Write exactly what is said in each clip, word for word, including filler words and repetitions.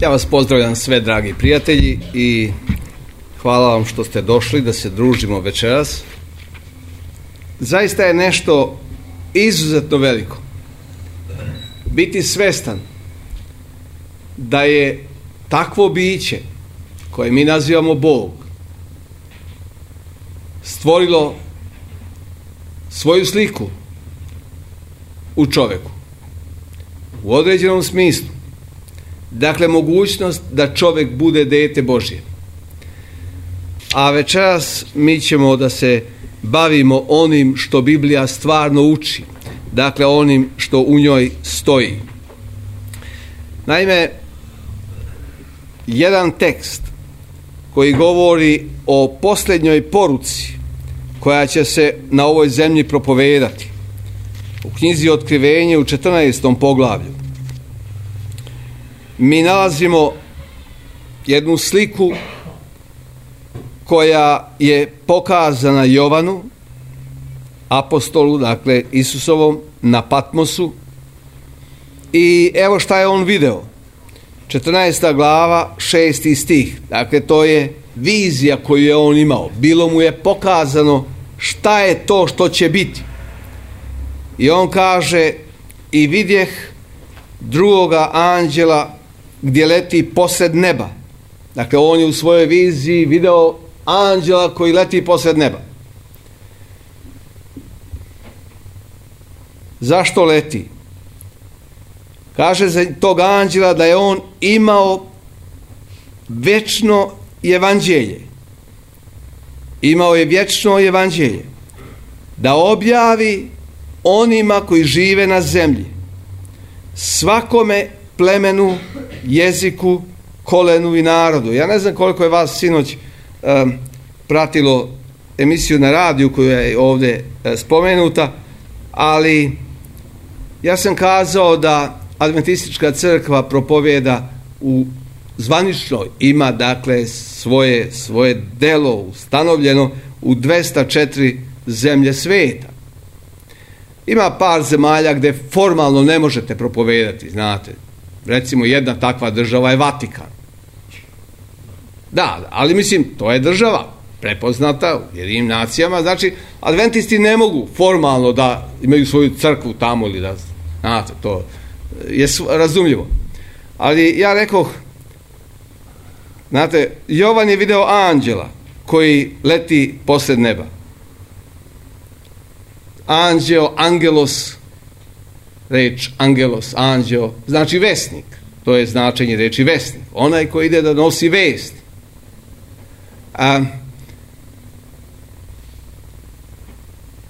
Ja vas pozdravljam sve, dragi prijatelji, i hvala vam što ste došli da se družimo večeras. Zaista je nešto izuzetno veliko biti svestan da je takvo biće koje mi nazivamo Bog stvorilo svoju sliku u čoveku u određenom smislu. Dakle, mogućnost da čovjek bude dete Božje. A večeras mi ćemo da se bavimo onim što Biblija stvarno uči. Dakle, onim što u njoj stoji. Naime, jedan tekst koji govori o posljednjoj poruci koja će se na ovoj zemlji propovedati. U knjizi Otkrivenje u četrnaestom poglavlju mi nalazimo jednu sliku koja je pokazana Jovanu, apostolu, dakle Isusovom, na Patmosu. I evo šta je on video. četrnaesta glava, šesti stih. Dakle, to je vizija koju je on imao. Bilo mu je pokazano šta je to što će biti. I on kaže: i vidjeh drugoga anđela gdje leti posred neba. Dakle, on je u svojoj viziji video anđela koji leti posred neba. Zašto leti? Kaže za tog anđela da je on imao vječno evanđelje. Imao je vječno evanđelje da objavi onima koji žive na zemlji, svakome plemenu, jeziku, kolenu i narodu. Ja ne znam koliko je vas sinoć um, pratilo emisiju na radiju koja je ovdje uh, spomenuta, ali ja sam kazao da Adventistička crkva propovjeda u zvanično, ima dakle svoje, svoje delo ustanovljeno u dvesta četiri zemlje svijeta. Ima par zemalja gdje formalno ne možete propovedati, znate. Recimo, jedna takva država je Vatikan. Da, ali mislim, to je država prepoznata u Ujedinjenim nacijama. Znači, adventisti ne mogu formalno da imaju svoju crkvu tamo ili da, znate, to je razumljivo. Ali ja rekoh, znate, Jovan je video anđela koji leti posred neba. Anđeo, angelos, reč angelos, anđeo, znači vesnik. To je značenje reči vesnik. Onaj koji ide da nosi vest. A,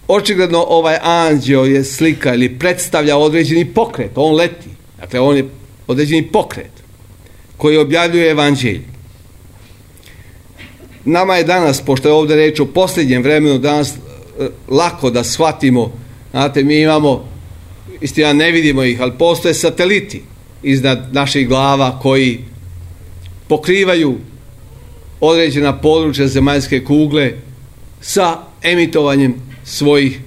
očigledno ovaj anđeo je slika ili predstavlja određeni pokret. On leti. Dakle, on je određeni pokret koji objavljuje evanđelje. Nama je danas, pošto je ovdje reč o posljednjem vremenu, danas lako da shvatimo. Znate, mi imamo, istina ne vidimo ih, ali postoje sateliti iznad naših glava koji pokrivaju određena područja zemaljske kugle sa emitovanjem svojih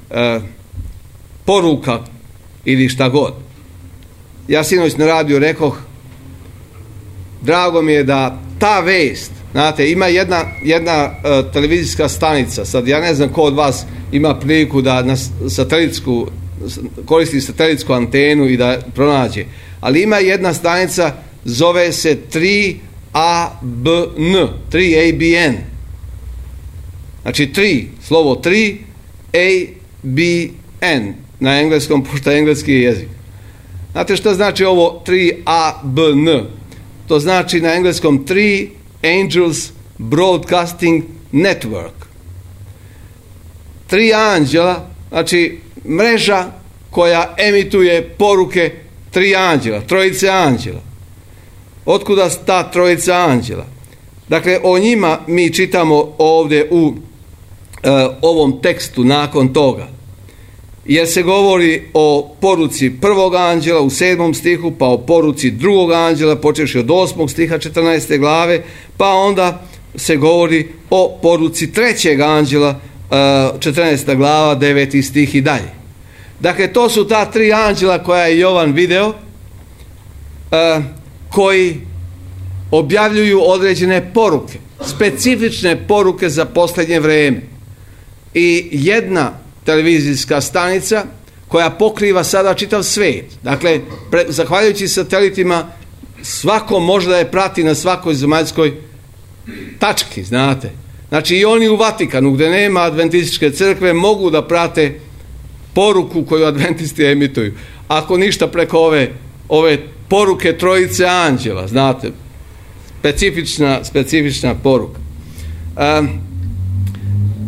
e, poruka ili šta god. Ja sinoć na radiju rekoh, drago mi je da ta vest, znate, ima jedna, jedna uh, televizijska stanica, sad ja ne znam ko od vas ima priliku da na satelitsku, koristi satelitsku antenu i da pronađe, ali ima jedna stanica, zove se tri A B N, tri A B N. Znači tri, slovo tri, A B N, na engleskom, pošto je engleski jezik. Znate što znači ovo tri A B N? To znači na engleskom tri Angels Broadcasting Network. Tri anđela, znači mreža koja emituje poruke tri anđela, trojice anđela. Otkuda ta trojica anđela? Dakle, o njima mi čitamo ovdje u uh, ovom tekstu nakon toga. Jer se govori o poruci prvog anđela u sedmom stihu, pa o poruci drugog anđela počevši od osmog stiha četrnaeste glave, pa onda se govori o poruci trećeg anđela, četrnaesta glava, deveti stih i dalje. Dakle, to su ta tri anđela koja je Jovan video, koji objavljuju određene poruke, specifične poruke za posljednje vrijeme. I jedna televizijska stanica koja pokriva sada čitav svijet. Dakle, pre, zahvaljujući satelitima, svako može da je prati na svakoj zemaljskoj tački, znate. Znači i oni u Vatikanu, gdje nema adventističke crkve, mogu da prate poruku koju adventisti emituju. Ako ništa preko ove, ove poruke trojice anđela, znate, specifična, specifična poruka. Um,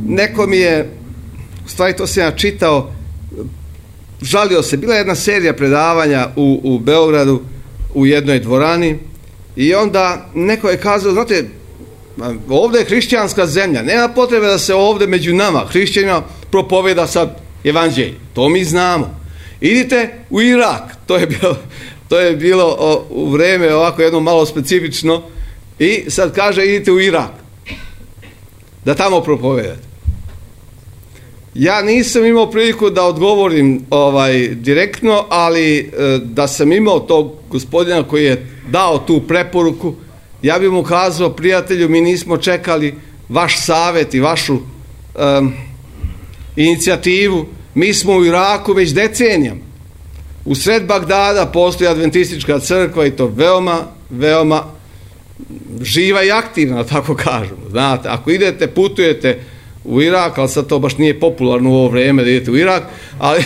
neko mi je, u stvari to sam ja čitao, žalio se, bila je jedna serija predavanja u, u Beogradu, u jednoj dvorani, i onda neko je kazao, znate, ovdje je hrišćanska zemlja, nema potrebe da se ovdje među nama, hrišćanima, propoveda sad evanđelje, to mi znamo. Idite u Irak, to je bilo, to je bilo o, u vrijeme ovako jedno malo specifično, i sad kaže idite u Irak, da tamo propovedate. Ja nisam imao priliku da odgovorim ovaj direktno, ali e, da sam imao tog gospodina koji je dao tu preporuku, ja bih mu kazao, prijatelju, mi nismo čekali vaš savjet i vašu um, inicijativu, mi smo u Iraku već decenijama. U sred Bagdada postoji adventistička crkva i to veoma, veoma živa i aktivna, tako kažemo. Znate, ako idete, putujete u Irak, ali sad to baš nije popularno u ovo vrijeme da idete u Irak, ali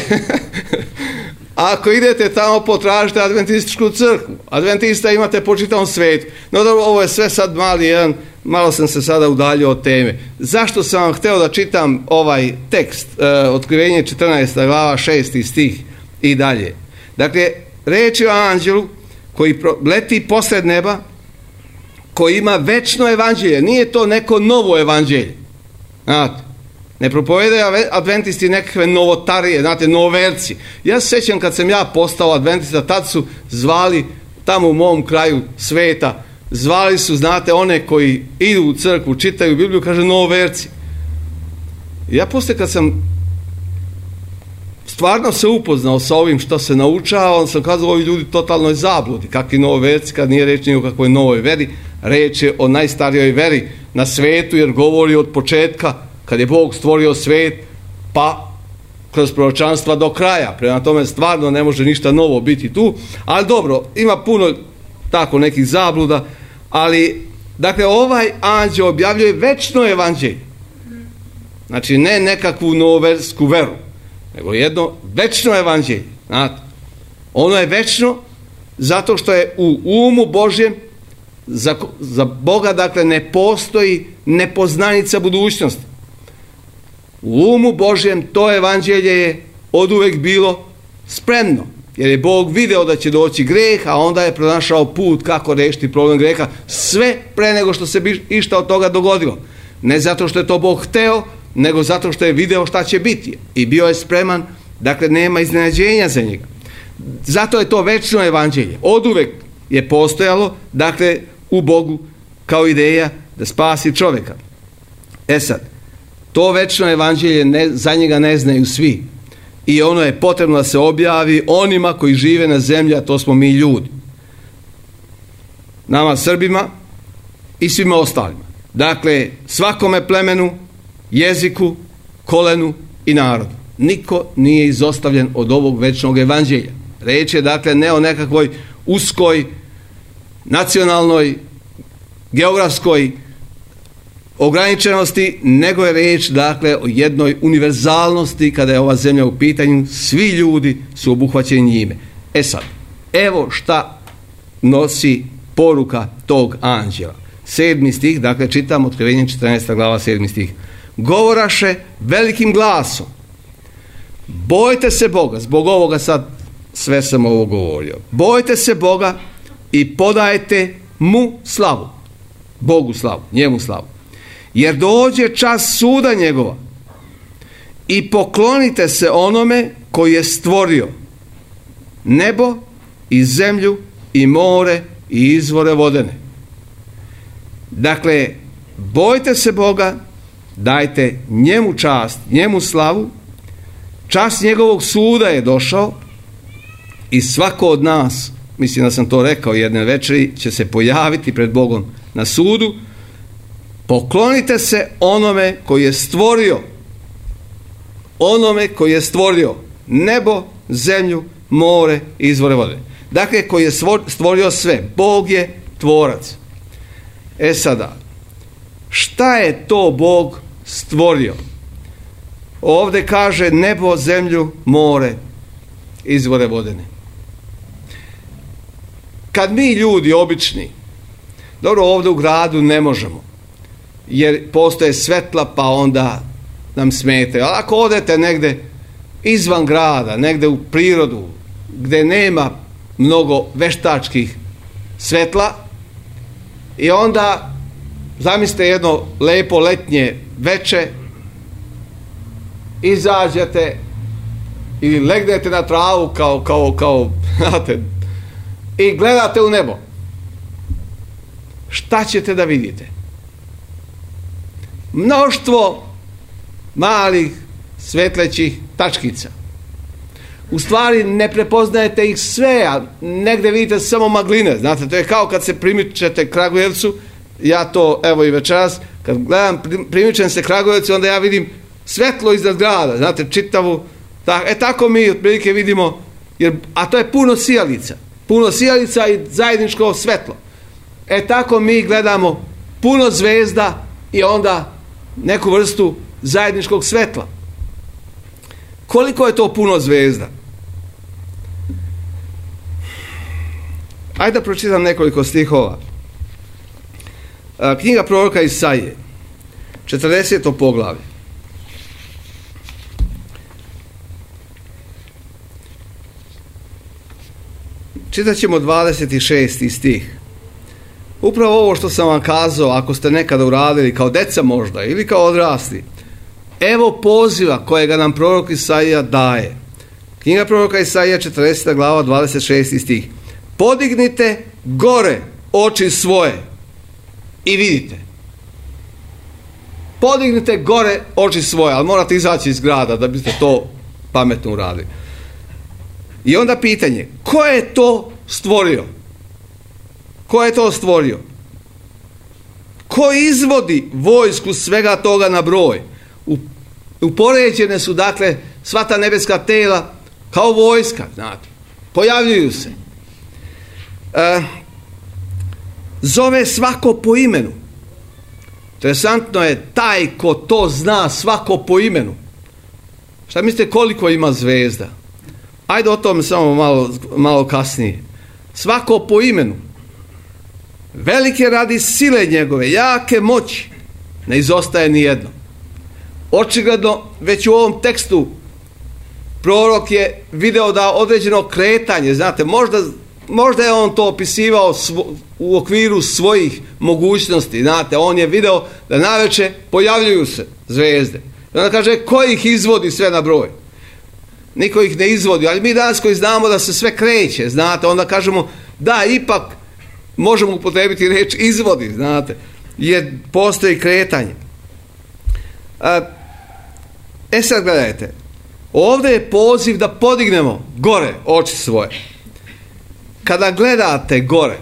ako idete tamo, potražite adventističku crkvu. Adventista imate po čitavom svijetu. No dobro, ovo je sve sad mali jedan, malo sam se sada udaljio od teme. Zašto sam vam htio da čitam ovaj tekst, e, Otkrivenje četrnaesta glava, šesti stih i dalje. Dakle, reč je o anđelu koji leti posred neba, koji ima večno evanđelje. Nije to neko novo evanđelje. Znate, ne propovedaju adventisti nekakve novotarije, znate, novoverci. Ja se sjećam kad sam ja postao adventista, tad su zvali tamo u mom kraju sveta, zvali su, znate, one koji idu u crkvu, čitaju Bibliju, kaže novoverci. Ja poslije kad sam stvarno se upoznao sa ovim što se naučao, on sam kazao, ovi ljudi totalnoj zabludi, kakvi novoverci, kad nije reč ni o kakvoj novoj veri, reč je o najstarijoj veri na svetu, jer govori od početka, kad je Bog stvorio svijet, pa kroz proročanstva do kraja. Prema tome stvarno ne može ništa novo biti tu, ali dobro, ima puno tako nekih zabluda, ali dakle ovaj anđeo objavljuje večno evanđelje. Znači ne nekakvu novoversku veru, nego jedno večno evanđelje. Znate, ono je večno zato što je u umu Božjem za, za Boga, dakle, ne postoji nepoznanica budućnosti. U umu Božjem to evanđelje je oduvek bilo spremno, jer je Bog video da će doći greh, a onda je pronašao put kako rešiti problem greha, sve pre nego što se bi išta od toga dogodilo. Ne zato što je to Bog hteo, nego zato što je video šta će biti i bio je spreman, dakle nema iznenađenja za njega. Zato je to večno evanđelje. Oduvek je postojalo, dakle, u Bogu kao ideja da spasi čovjeka. E sad, to večno evanđelje ne, za njega ne znaju svi. I ono je potrebno da se objavi onima koji žive na zemlji, a to smo mi ljudi. Nama Srbima i svima ostalima. Dakle, svakome plemenu, jeziku, kolenu i narodu. Niko nije izostavljen od ovog večnog evanđelja. Reč je, dakle, ne o nekakvoj uskoj, nacionalnoj, geografskoj ograničenosti, nego je reč, dakle, o jednoj univerzalnosti kada je ova zemlja u pitanju, svi ljudi su obuhvaćeni njime. E sad, evo šta nosi poruka tog anđela. Sedmi stih, dakle, čitam Otkrivenje četrnaesta glava, sedmi stih. Govoraše velikim glasom, bojte se Boga, zbog ovoga sad sve sam ovo govorio, bojte se Boga i podajte mu slavu, Bogu slavu, njemu slavu, jer dođe čas suda njegova i poklonite se onome koji je stvorio nebo i zemlju i more i izvore vodene. Dakle, bojte se Boga, dajte njemu čast, njemu slavu, čas njegovog suda je došao i svako od nas mislim da sam to rekao jedne večeri, će se pojaviti pred Bogom na sudu. Poklonite se onome koji je stvorio, onome koji je stvorio nebo, zemlju, more i izvore vode. Dakle, koji je stvorio sve. Bog je tvorac. E sada, šta je to Bog stvorio? Ovdje kaže nebo, zemlju, more, izvore vodene. Kad mi ljudi obični, dobro, ovdje u gradu ne možemo, jer postoje svetla pa onda nam smetaju. Ali ako odete negdje izvan grada, negdje u prirodu, gdje nema mnogo veštačkih svetla, i onda zamislite jedno lepo letnje veče, izađete ili legnete na travu kao, kao, kao, znate, i gledate u nebo. Šta ćete da vidite? Mnoštvo malih svetlećih tačkica. U stvari ne prepoznajete ih sve, a negdje vidite samo magline. Znate, to je kao kad se primičete Kragujevcu. Ja to, evo i večeras, kad gledam, primičem se Kragujevcu, onda ja vidim svetlo iznad grada. Znate, čitavu. Tak, e tako mi otprilike vidimo, jer, a to je puno sijalica. Puno sijalica i zajedničko svetlo. E tako mi gledamo puno zvezda i onda neku vrstu zajedničkog svetla. Koliko je to puno zvezda? Ajde da pročitam nekoliko stihova. Knjiga proroka Isaije, četrdeseto poglavlje. Čitat ćemo dvadeset šesti stih. Upravo ovo što sam vam kazao, ako ste nekada uradili kao deca možda ili kao odrasli, evo poziva kojega nam prorok Isaija daje. Knjiga proroka Isaija, četrdeseta glava, dvadeset šesti stih. Podignite gore oči svoje i vidite. Podignite gore oči svoje, ali morate izaći iz grada da biste to pametno uradili. I onda pitanje, ko je to stvorio? Ko je to stvorio? Ko izvodi vojsku svega toga na broj? Upoređene su, dakle, sva ta nebeska tela kao vojska, znate. Pojavljuju se. E, zove svako po imenu. Interesantno je taj ko to zna svako po imenu. Šta mislite koliko ima zvezda? Ajde o tome samo malo, malo kasnije. Svako po imenu. Velike radi sile njegove, jake moći. Ne izostaje ni jedno. Očigledno, već u ovom tekstu prorok je video da određeno kretanje, znate, možda, možda je on to opisivao svo, u okviru svojih mogućnosti, znate, on je video da naveče pojavljuju se zvezde. I onda kaže, ko ih izvodi sve na broj? Niko ih ne izvodi, ali mi danas koji znamo da se sve kreće, znate, onda kažemo, da, ipak možemo upotrebiti riječ izvodi, znate, jer postoji kretanje. A, e sad gledajte, ovdje je poziv da podignemo gore oči svoje. Kada gledate gore,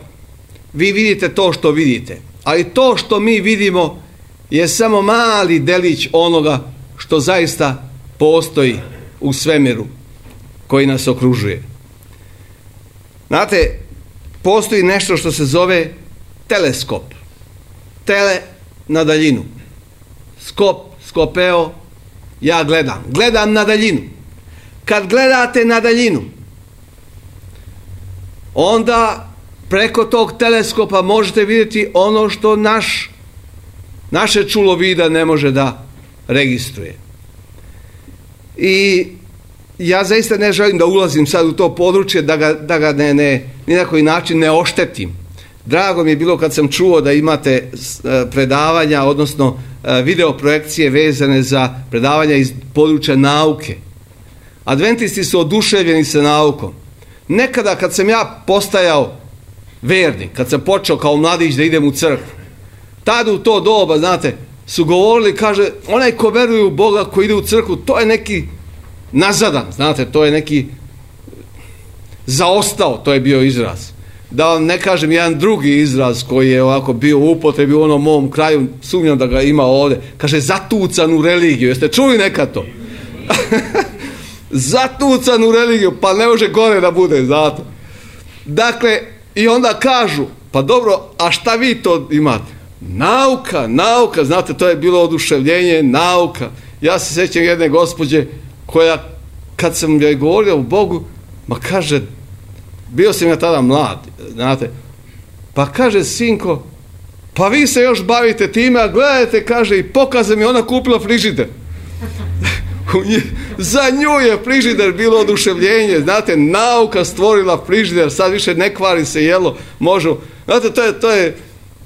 vi vidite to što vidite, ali to što mi vidimo je samo mali delić onoga što zaista postoji u svemiru koji nas okružuje. Znate, postoji nešto što se zove teleskop. Tele na daljinu. Skop, skopeo, ja gledam. Gledam na daljinu. Kad gledate na daljinu, onda preko tog teleskopa možete vidjeti ono što naš, naše čulo vida ne može da registruje. I ja zaista ne želim da ulazim sad u to područje, da ga, da ga ne, ne, ni na koji način ne oštetim. Drago mi je bilo kad sam čuo da imate predavanja, odnosno video projekcije vezane za predavanja iz područja nauke. Adventisti su oduševljeni sa naukom. Nekada kad sam ja postajao vernik, kad sam počeo kao mladić da idem u crkvu, tada u to doba, znate, su govorili, kaže, onaj ko veruje u Boga, ko ide u crkvu, to je neki nazadan, znate, to je neki zaostao, to je bio izraz. Da vam ne kažem jedan drugi izraz koji je ovako bio u upotrebi u onom mom kraju, sumnjam da ga ima ovdje, kaže zatucan u religiju. Jeste čuli nekad to? Zatucan u religiju, pa ne može gore da bude zato. Dakle, i onda kažu, pa dobro, a šta vi to imate? Nauka, nauka, znate, to je bilo oduševljenje, nauka. Ja se sjećam jedne gospođe koja, kad sam joj govorio o Bogu, ma kaže, bio sam ja tada mlad, znate, pa kaže, sinko, pa vi se još bavite time, a gledajte, kaže, i pokaze mi ona kupila frižider. Za nju je frižider bilo oduševljenje, znate, nauka stvorila frižider, sad više ne kvari se jelo, možu, znate, to je, to je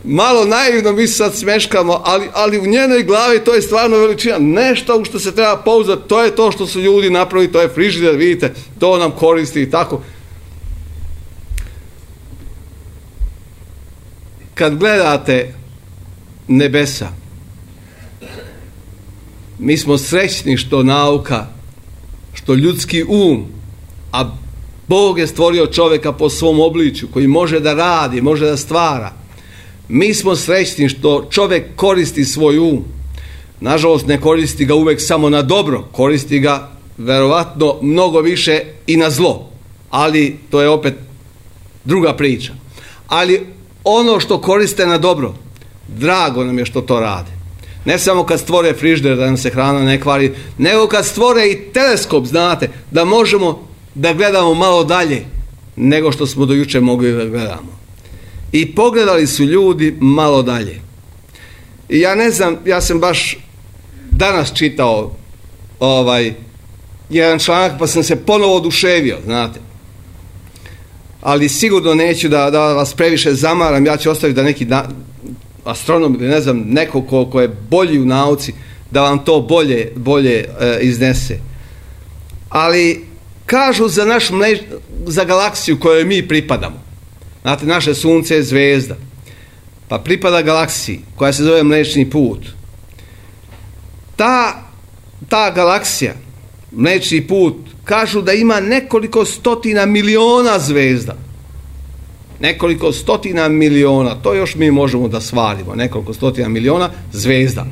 malo naivno, mi se sad smeškamo, ali, ali u njenoj glavi to je stvarno veličina, nešto u što se treba pouzdati, to je to što su ljudi napravili, to je frižider, vidite, to nam koristi i tako. Kad gledate nebesa, mi smo srećni što nauka, što ljudski um, a Bog je stvorio čovjeka po svom obličju, koji može da radi, može da stvara. Mi smo srećni što čovjek koristi svoj um. Nažalost, ne koristi ga uvek samo na dobro, koristi ga verovatno mnogo više i na zlo. Ali to je opet druga priča. Ali ono što koriste na dobro, drago nam je što to rade. Ne samo kad stvore frižider da nam se hrana ne kvari, nego kad stvore i teleskop, znate, da možemo da gledamo malo dalje nego što smo do juče mogli da gledamo. I pogledali su ljudi malo dalje. I ja ne znam, ja sam baš danas čitao ovaj jedan članak, pa sam se ponovo oduševio, znate. Ali sigurno neću da, da vas previše zamaram, ja ću ostaviti da neki da, astronom ili ne znam, neko ko, ko je bolji u nauci, da vam to bolje, bolje e, iznese. Ali kažu za naš mleč, za galaksiju kojoj mi pripadamo. Znate, naše sunce je zvezda, pa pripada galaksiji koja se zove Mlečni put. Ta, ta galaksija, Mlečni put, kažu da ima nekoliko stotina miliona zvezda. Nekoliko stotina miliona, to još mi možemo da svarimo, nekoliko stotina miliona zvezda.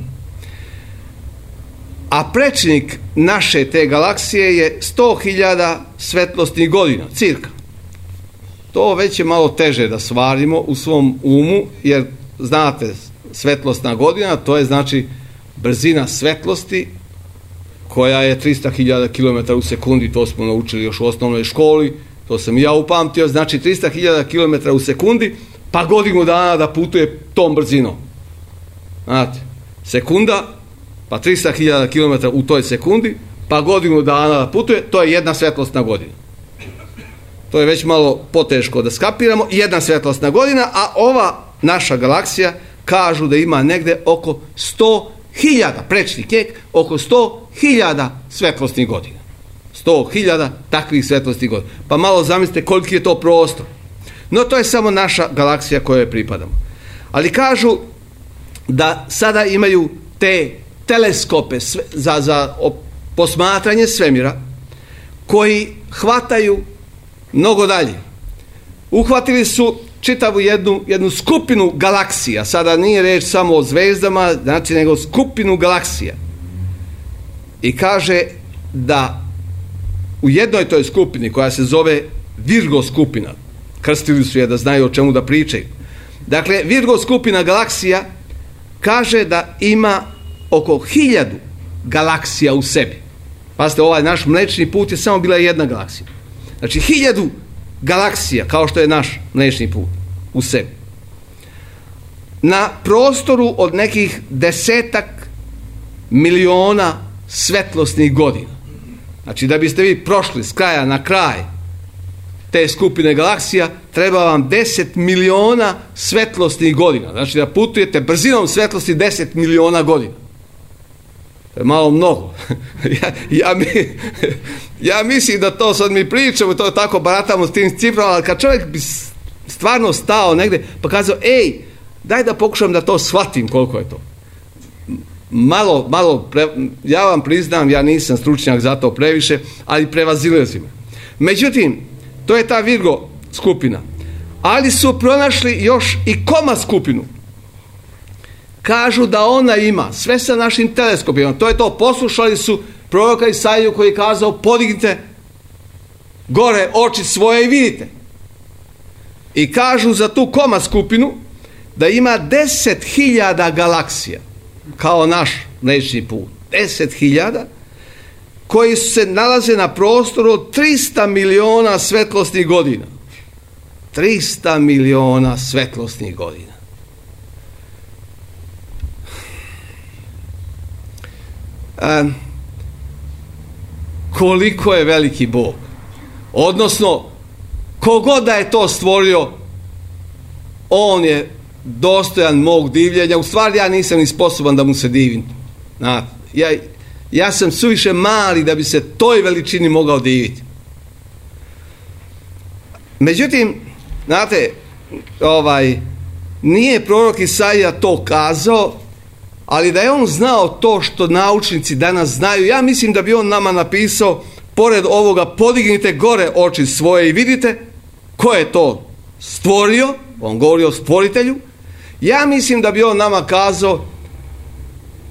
A prečnik naše te galaksije je sto hiljada svetlosnih godina, cirka. To već je malo teže da svarimo u svom umu, jer znate, svetlosna godina, to je znači brzina svetlosti koja je trista hiljada kilometara u sekundi, to smo naučili još u osnovnoj školi, to sam i ja upamtio, znači trista hiljada kilometara u sekundi, pa godinu dana da putuje tom brzinom. Znate, sekunda, pa trista hiljada kilometara u toj sekundi, pa godinu dana da putuje, to je jedna svetlosna godina. To je već malo poteško da skapiramo, jedna svetlosna godina, a ova naša galaksija kažu da ima negde oko sto hiljada, prečni kek, oko sto hiljada svetlosnih godina. sto hiljada takvih svetlosnih godina. Pa malo zamislite koliki je to prostor. No to je samo naša galaksija kojoj pripadamo. Ali kažu da sada imaju te teleskope sve, za, za posmatranje svemira koji hvataju mnogo dalje. Uhvatili su čitavu jednu, jednu skupinu galaksija. Sada nije reč samo o zvezdama, znači nego skupinu galaksija. I kaže da u jednoj toj skupini koja se zove Virgo skupina, krstili su je da znaju o čemu da pričaju. Dakle, Virgo skupina galaksija kaže da ima oko hiljadu galaksija u sebi. Pazite, ovaj naš Mlečni put je samo bila jedna galaksija. Znači, hiljadu galaksija, kao što je naš Mlečni put, u sebi. Na prostoru od nekih desetak miliona svetlosnih godina. Znači, da biste vi prošli s kraja na kraj te skupine galaksija, treba vam deset miliona svetlosnih godina. Znači, da putujete brzinom svetlosti deset miliona godina. To je malo mnogo. ja, ja, mi, ja mislim da to sad mi pričamo, to tako baratamo s tim ciframa, ali kad čovjek bi stvarno stao negde pa kazao, ej, daj da pokušam da to shvatim koliko je to. Malo, malo, pre, ja vam priznam, ja nisam stručnjak za to previše, ali prevazilazim. Međutim, To je ta Virgo skupina. Ali su pronašli još i Koma skupinu. Kažu da ona ima, sve sa našim teleskopima, to je to, poslušali su proroka Isaiju koji je kazao podignite gore oči svoje i vidite. I kažu za tu Koma skupinu da ima deset hiljada galaksija, kao naš Mlečni put. Deset hiljada koji se nalaze na prostoru od trista miliona svetlosnih godina. trista miliona svetlosnih godina. E, koliko je veliki Bog. Odnosno, kogod da je to stvorio, on je dostojan mog divljenja. U stvari ja nisam ni sposoban da mu se divim. Znate, ja, ja sam suviše mali da bi se toj veličini mogao diviti. Međutim, znate, ovaj, nije prorok Isaija to kazao, ali da je on znao to što naučnici danas znaju, ja mislim da bi on nama napisao, pored ovoga, podignite gore oči svoje i vidite ko je to stvorio, on govori o stvoritelju, ja mislim da bi on nama kazao,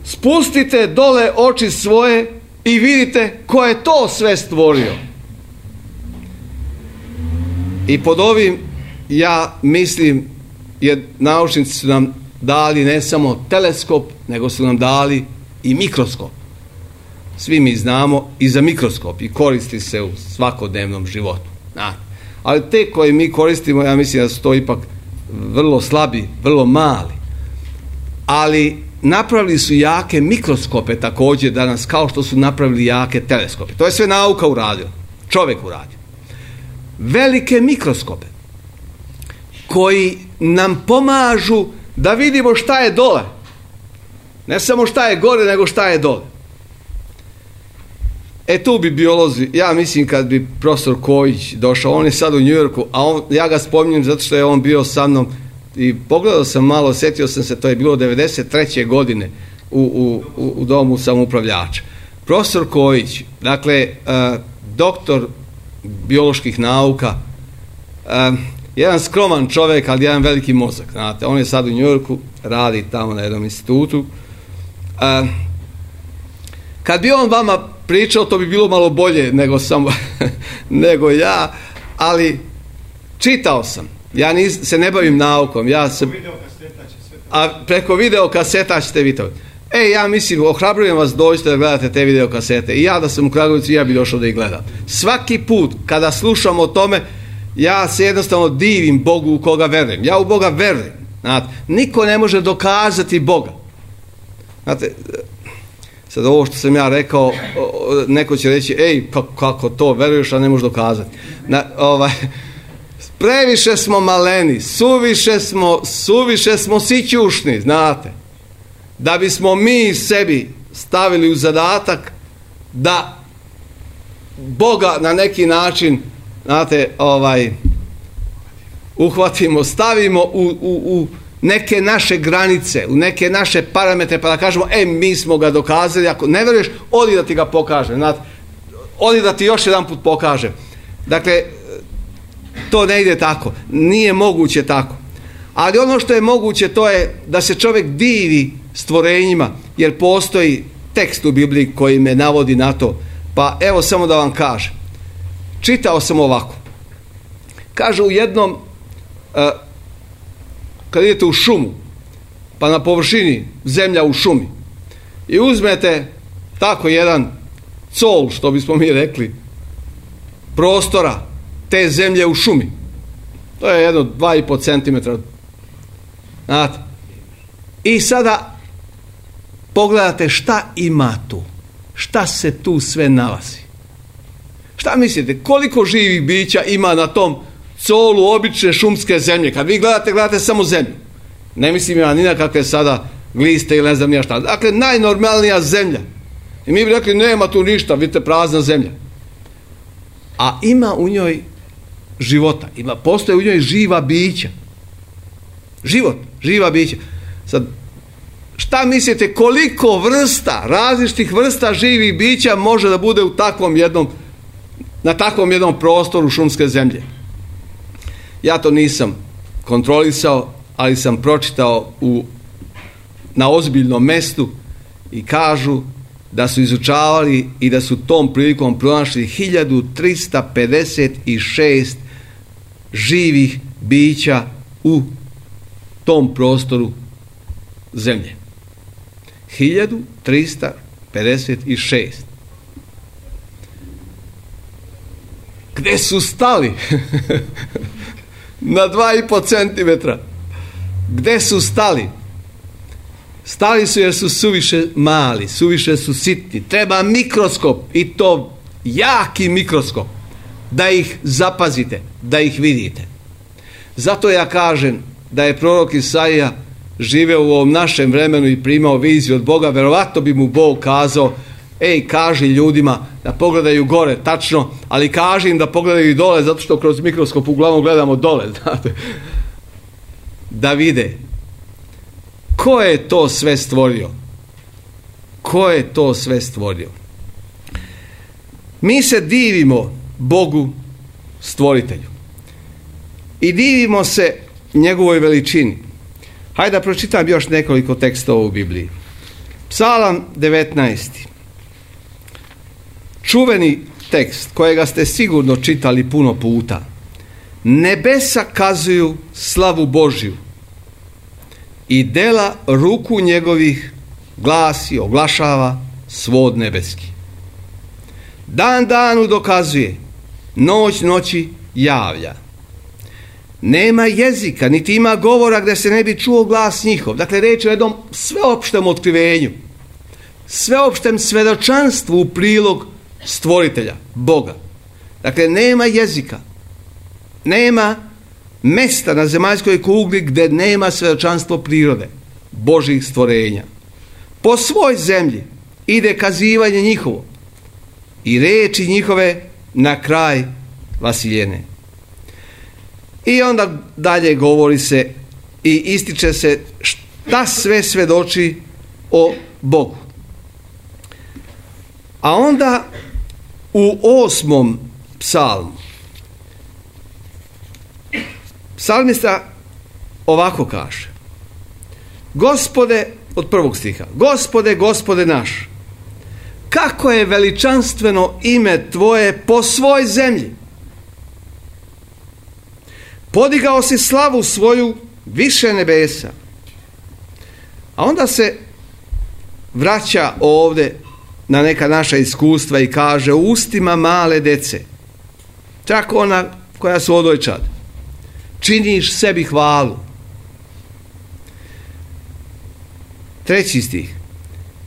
spustite dole oči svoje i vidite ko je to sve stvorio. I pod ovim, ja mislim, jer naučnici su nam dali ne samo teleskop, nego su nam dali i mikroskop. Svi mi znamo i za mikroskop i koristi se u svakodnevnom životu. Ali te koje mi koristimo, ja mislim da su to ipak vrlo slabi, vrlo mali. Ali napravili su jake mikroskope također danas, kao što su napravili jake teleskope. To je sve nauka uradila, čovjek uradio. Velike mikroskope koji nam pomažu da vidimo šta je dole. Ne samo šta je gore, nego šta je dole. E tu bi biolozi, ja mislim kad bi profesor Kojić došao, on je sad u New Yorku, a on, ja ga spominjem zato što je on bio sa mnom i pogledao sam malo, sjetio sam se, to je bilo devedeset treće godine u, u, u domu samoupravljača. Profesor Kojić, dakle, uh, doktor bioloških nauka, uh, jedan skroman čovjek, ali jedan veliki mozak, znate, on je sad u New Yorku, radi tamo na jednom institutu. Uh, kad bi on vama pričao, to bi bilo malo bolje nego sam nego ja, ali čitao sam. Ja nis, se ne bavim naukom, ja se, a preko video kaseta ćete vidjeti. E, ja mislim, ohrabrujem vas, dođite da gledate te video kasete. I ja da sam u Kragujevcu, ja bi došao da ih gledam. Svaki put kada slušam o tome, ja se jednostavno divim Bogu u koga verujem. Ja u Boga verujem. Znate, niko ne može dokazati Boga. Znate, sad ovo što sam ja rekao, neko će reći, ej, kako, kako to veruješ, a ne možeš dokazati. Na, ovaj, previše smo maleni, suviše smo, suviše smo sićušni, znate, da bismo mi sebi stavili u zadatak da Boga na neki način, znate, ovaj, uhvatimo, stavimo u, u, u neke naše granice, u neke naše parametre, pa da kažemo, e, mi smo ga dokazali, ako ne veruješ, odi da ti ga pokažem, znate, odi da ti još jedan put pokažem. Dakle, to ne ide tako, nije moguće tako. Ali ono što je moguće, to je da se čovjek divi stvorenjima, jer postoji tekst u Bibliji koji me navodi na to. Pa evo samo da vam kažem. Čitao sam ovako. Kaže u jednom, uh, kad idete u šumu, pa na površini zemlja u šumi, i uzmete tako jedan col, što bismo mi rekli, prostora te zemlje u šumi. To je jedno dva i po centimetra. Znate. I sada pogledate šta ima tu. Šta se tu sve nalazi. Šta mislite? Koliko živih bića ima na tom colu obične šumske zemlje? Kad vi gledate, gledate samo zemlju. Ne mislim ja ni na kakve sada gliste ili ne znam ja šta. Dakle, najnormalnija zemlja. I mi bi rekli, nema tu ništa, vidite, prazna zemlja. A ima u njoj života. Ima, postoje u njoj živa bića. Život, živa bića. Sad, šta mislite, koliko vrsta, različitih vrsta živih bića može da bude u takvom jednom, na takvom jednom prostoru šumske zemlje. Ja to nisam kontrolisao, ali sam pročitao u, na ozbiljnom mestu i kažu da su izučavali i da su tom prilikom pronašli hiljadu trista pedeset šest živih bića u tom prostoru zemlje. hiljadu trista pedeset šest. Gde su stali? Na dva i po centimetra. Gde su stali? Stali su jer su suviše mali, suviše su sitni. Treba mikroskop, i to jaki mikroskop, da ih zapazite, da ih vidite. Zato ja kažem da je prorok Isaija živeo u ovom našem vremenu i primao viziju od Boga, verovatno bi mu Bog kazao: ej, kaži ljudima da pogledaju gore, tačno, ali kaži im da pogledaju i dole, zato što kroz mikroskop uglavnom gledamo dole, znate. Da vide ko je to sve stvorio. Ko je to sve stvorio? Mi se divimo Bogu stvoritelju i divimo se njegovoj veličini. Hajde da pročitam još nekoliko tekstova u Bibliji. Psalam devetnaesti. Čuveni tekst kojega ste sigurno čitali puno puta. Nebesa kazuju slavu Božju i dela ruku njegovih glasi, oglašava svod nebeski. Dan danu dokazuje, noć noći javlja. Nema jezika, niti ima govora gdje se ne bi čuo glas njihov. Dakle, reč je o jednom sveopštem otkrivenju, sveopštem svedočanstvu u prilog stvoritelja, Boga. Dakle, nema jezika, nema mesta na zemaljskoj kugli gdje nema svedočanstvo prirode, Božih stvorenja. Po svoj zemlji ide kazivanje njihovo i reči njihove na kraj vasiljene. I onda dalje govori se i ističe se šta sve svedoči o Bogu. A onda u osmom psalmu psalmista ovako kaže: Gospode, od prvog stiha, Gospode, Gospode naš, kako je veličanstveno ime Tvoje po svoj zemlji. Podigao si slavu svoju više nebesa. A onda se vraća ovdje na neka naša iskustva i kaže: u ustima male dece, čak ona koja su odojčad, činiš sebi hvalu. Treći stih.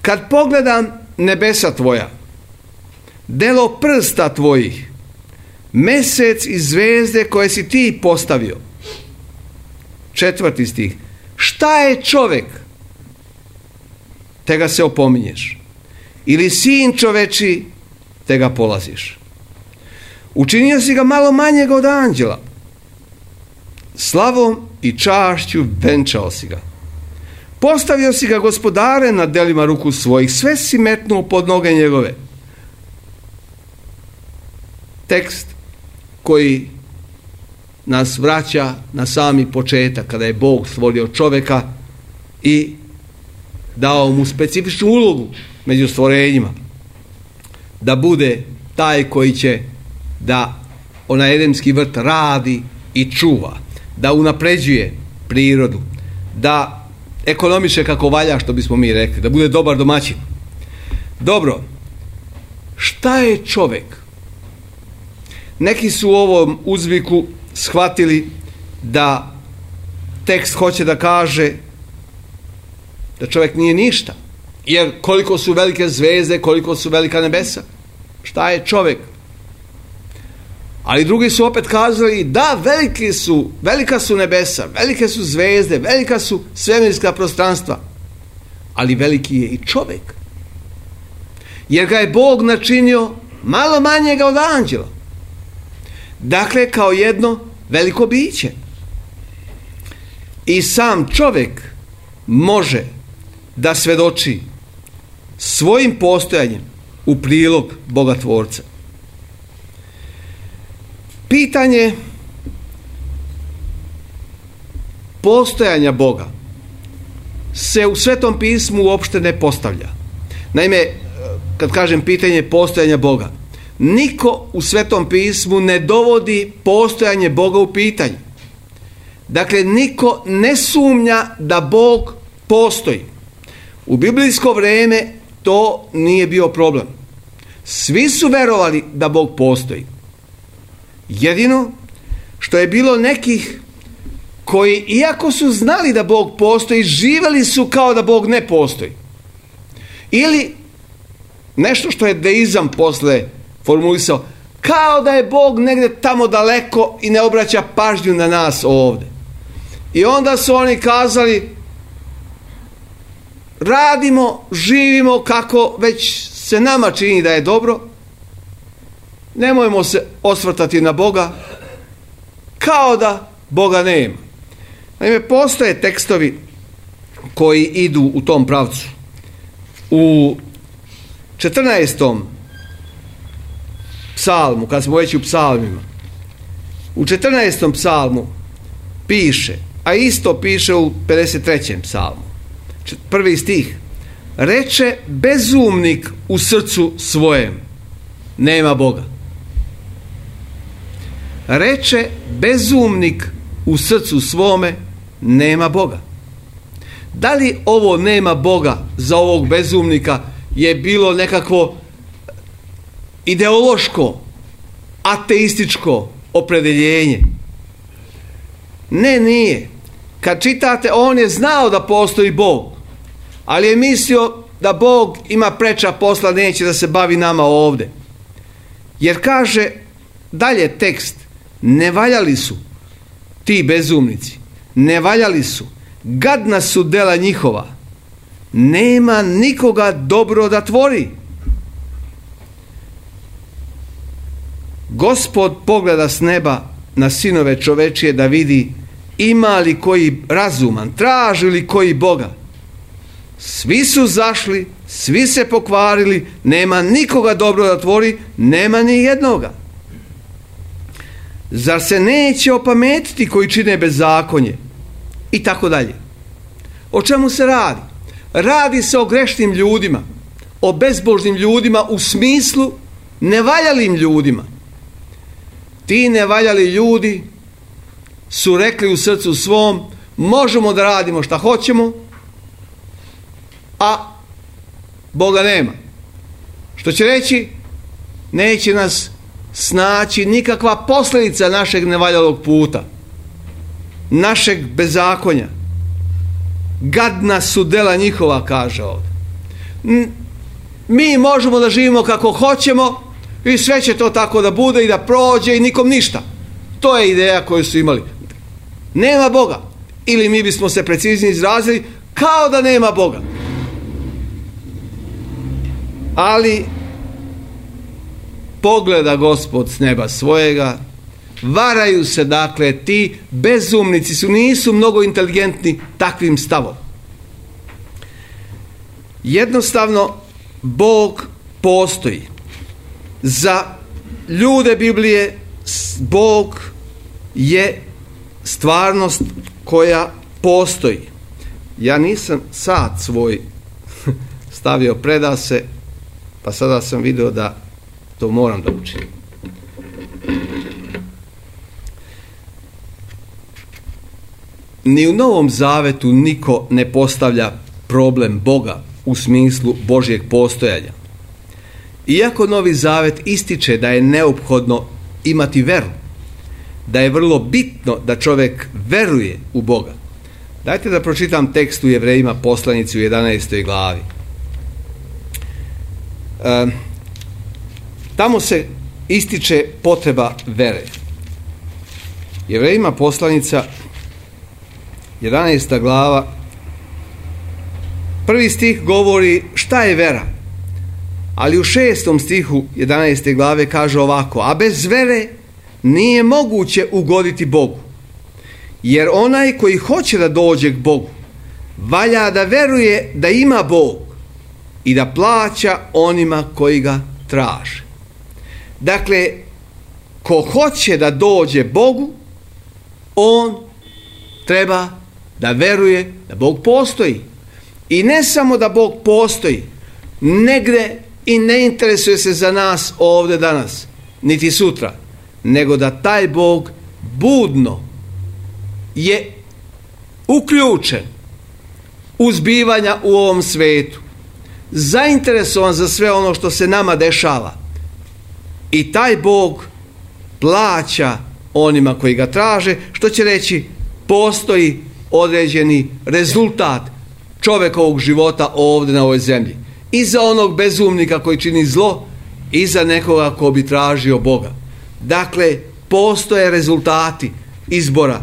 Kad pogledam nebesa tvoja, delo prsta tvojih, mesec i zvezde koje si ti postavio. Četvrti stih. Šta je čovek, te ga se opominješ, ili sin čoveči, te ga polaziš. Učinio si ga malo manjeg od anđela, slavom i čašću venčao si ga. Postavio si ga gospodare nad delima ruku svojih, sve si metnuo pod noge njegove. Tekst koji nas vraća na sami početak, kada je Bog stvorio čovjeka i dao mu specifičnu ulogu među stvorenjima, da bude taj koji će da onaj edemski vrt radi i čuva, da unapređuje prirodu, da ekonomiše kako valja, što bismo mi rekli, da bude dobar domaćin. Dobro, šta je čovjek? Neki su u ovom uzviku shvatili da tekst hoće da kaže da čovjek nije ništa, jer koliko su velike zvezde, koliko su velika nebesa, šta je čovjek? Ali drugi su opet kazali da veliki su, velika su nebesa, velike su zvezde, velika su svemirska prostranstva, ali veliki je i čovjek, jer ga je Bog načinio malo manjega od anđela. Dakle, kao jedno veliko biće. I sam čovjek može da svedoči svojim postojanjem u prilog Boga Tvorca. Pitanje postojanja Boga se u Svetom pismu uopšte ne postavlja. Naime, kad kažem pitanje postojanja Boga, niko u Svetom pismu ne dovodi postojanje Boga u pitanje. Dakle, niko ne sumnja da Bog postoji. U biblijsko vrijeme to nije bio problem. Svi su verovali da Bog postoji. Jedino što je bilo nekih koji, iako su znali da Bog postoji, živjeli su kao da Bog ne postoji. Ili nešto što je deizam posle formulisao, kao da je Bog negdje tamo daleko i ne obraća pažnju na nas ovdje. I onda su oni kazali, radimo, živimo kako već se nama čini da je dobro, nemojmo se osvrtati na Boga, kao da Boga nema. Naime, postoje tekstovi koji idu u tom pravcu. U četrnaestom psalmu, kad smo već u psalmima, u četrnaestom psalmu piše, a isto piše u pedeset trećem psalmu, prvi stih, reče bezumnik u srcu svojem, nema Boga. Reče bezumnik u srcu svome, nema Boga. Da li ovo nema Boga za ovog bezumnika je bilo nekakvo ideološko, ateističko opredeljenje? Ne, nije. Kad čitate, on je znao da postoji Bog, ali je mislio da Bog ima preča posla, neće da se bavi nama ovdje. Jer kaže dalje tekst, ne valjali su ti bezumnici, ne valjali su, gadna su dela njihova, nema nikoga dobro da tvori. Gospod pogleda s neba na sinove čovečije da vidi ima li koji razuman, traži li koji Boga. Svi su zašli, svi se pokvarili, nema nikoga dobro da tvori, nema ni jednoga. Zar se neće opametiti koji čine bezakonje? I tako dalje. O čemu se radi? Radi se o grešnim ljudima, o bezbožnim ljudima u smislu nevaljalim ljudima. Ti nevaljali ljudi su rekli u srcu svom, možemo da radimo šta hoćemo, a Boga nema. Što će reći, neće nas snaći nikakva posljedica našeg nevaljalog puta, našeg bezakonja. Gadna su dela njihova, kaže ovdje. Mi možemo da živimo kako hoćemo i sve će to tako da bude i da prođe i nikom ništa. To je ideja koju su imali. Nema Boga. Ili mi bismo se preciznije izrazili, kao da nema Boga. Ali pogleda Gospod s neba svojega, varaju se, dakle, ti bezumnici su, nisu mnogo inteligentni takvim stavom. Jednostavno, Bog postoji. Za ljude Biblije Bog je stvarnost koja postoji. Ja nisam sat svoj stavio predase, pa sada sam vidio da to moram da učinim. Ni u Novom Zavetu niko ne postavlja problem Boga u smislu Božjeg postojanja. Iako Novi Zavet ističe da je neophodno imati veru, da je vrlo bitno da čovjek veruje u Boga. Dajte da pročitam tekst u Jevrejima poslanici u jedanaestoj glavi. E, tamo se ističe potreba vere. Jevrejima poslanica jedanaesta glava, prvi stih govori šta je vera, ali u šestom stihu jedanaeste glave kaže ovako: a bez vere nije moguće ugoditi Bogu, jer onaj koji hoće da dođe k Bogu valja da veruje da ima Bog i da plaća onima koji ga traže. Dakle, ko hoće da dođe Bogu, on treba da veruje da Bog postoji. I ne samo da Bog postoji, negde i ne interesuje se za nas ovdje danas, niti sutra, nego da taj Bog budno je uključen u zbivanja u ovom svetu, zainteresovan za sve ono što se nama dešava. I taj Bog plaća onima koji ga traže, što će reći postoji određeni rezultat čovjekovog života ovdje na ovoj zemlji. I za onog bezumnika koji čini zlo, i za nekoga ko bi tražio Boga. Dakle, postoje rezultati izbora.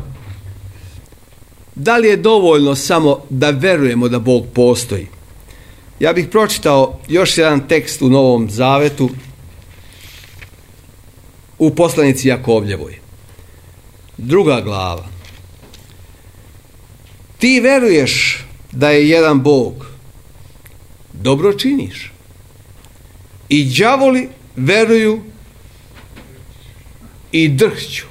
Da li je dovoljno samo da verujemo da Bog postoji? Ja bih pročitao još jedan tekst u Novom Zavetu, u poslanici Jakovljevoj. Druga glava. Ti veruješ da je jedan Bog, dobro činiš. I đavoli veruju i drhću.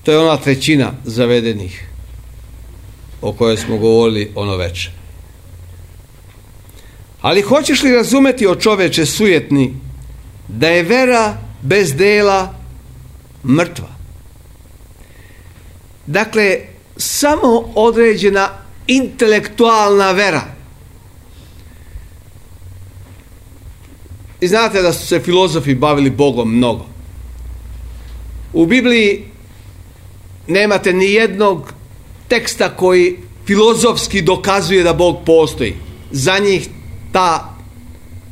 To je ona trećina zavedenih o kojoj smo govorili ono večer. Ali hoćeš li razumeti, o čoveče sujetni, da je vera bez dela mrtva? Dakle, samo određena intelektualna vera. I znate da su se filozofi bavili Bogom mnogo. U Bibliji nemate ni jednog teksta koji filozofski dokazuje da Bog postoji. Za njih ta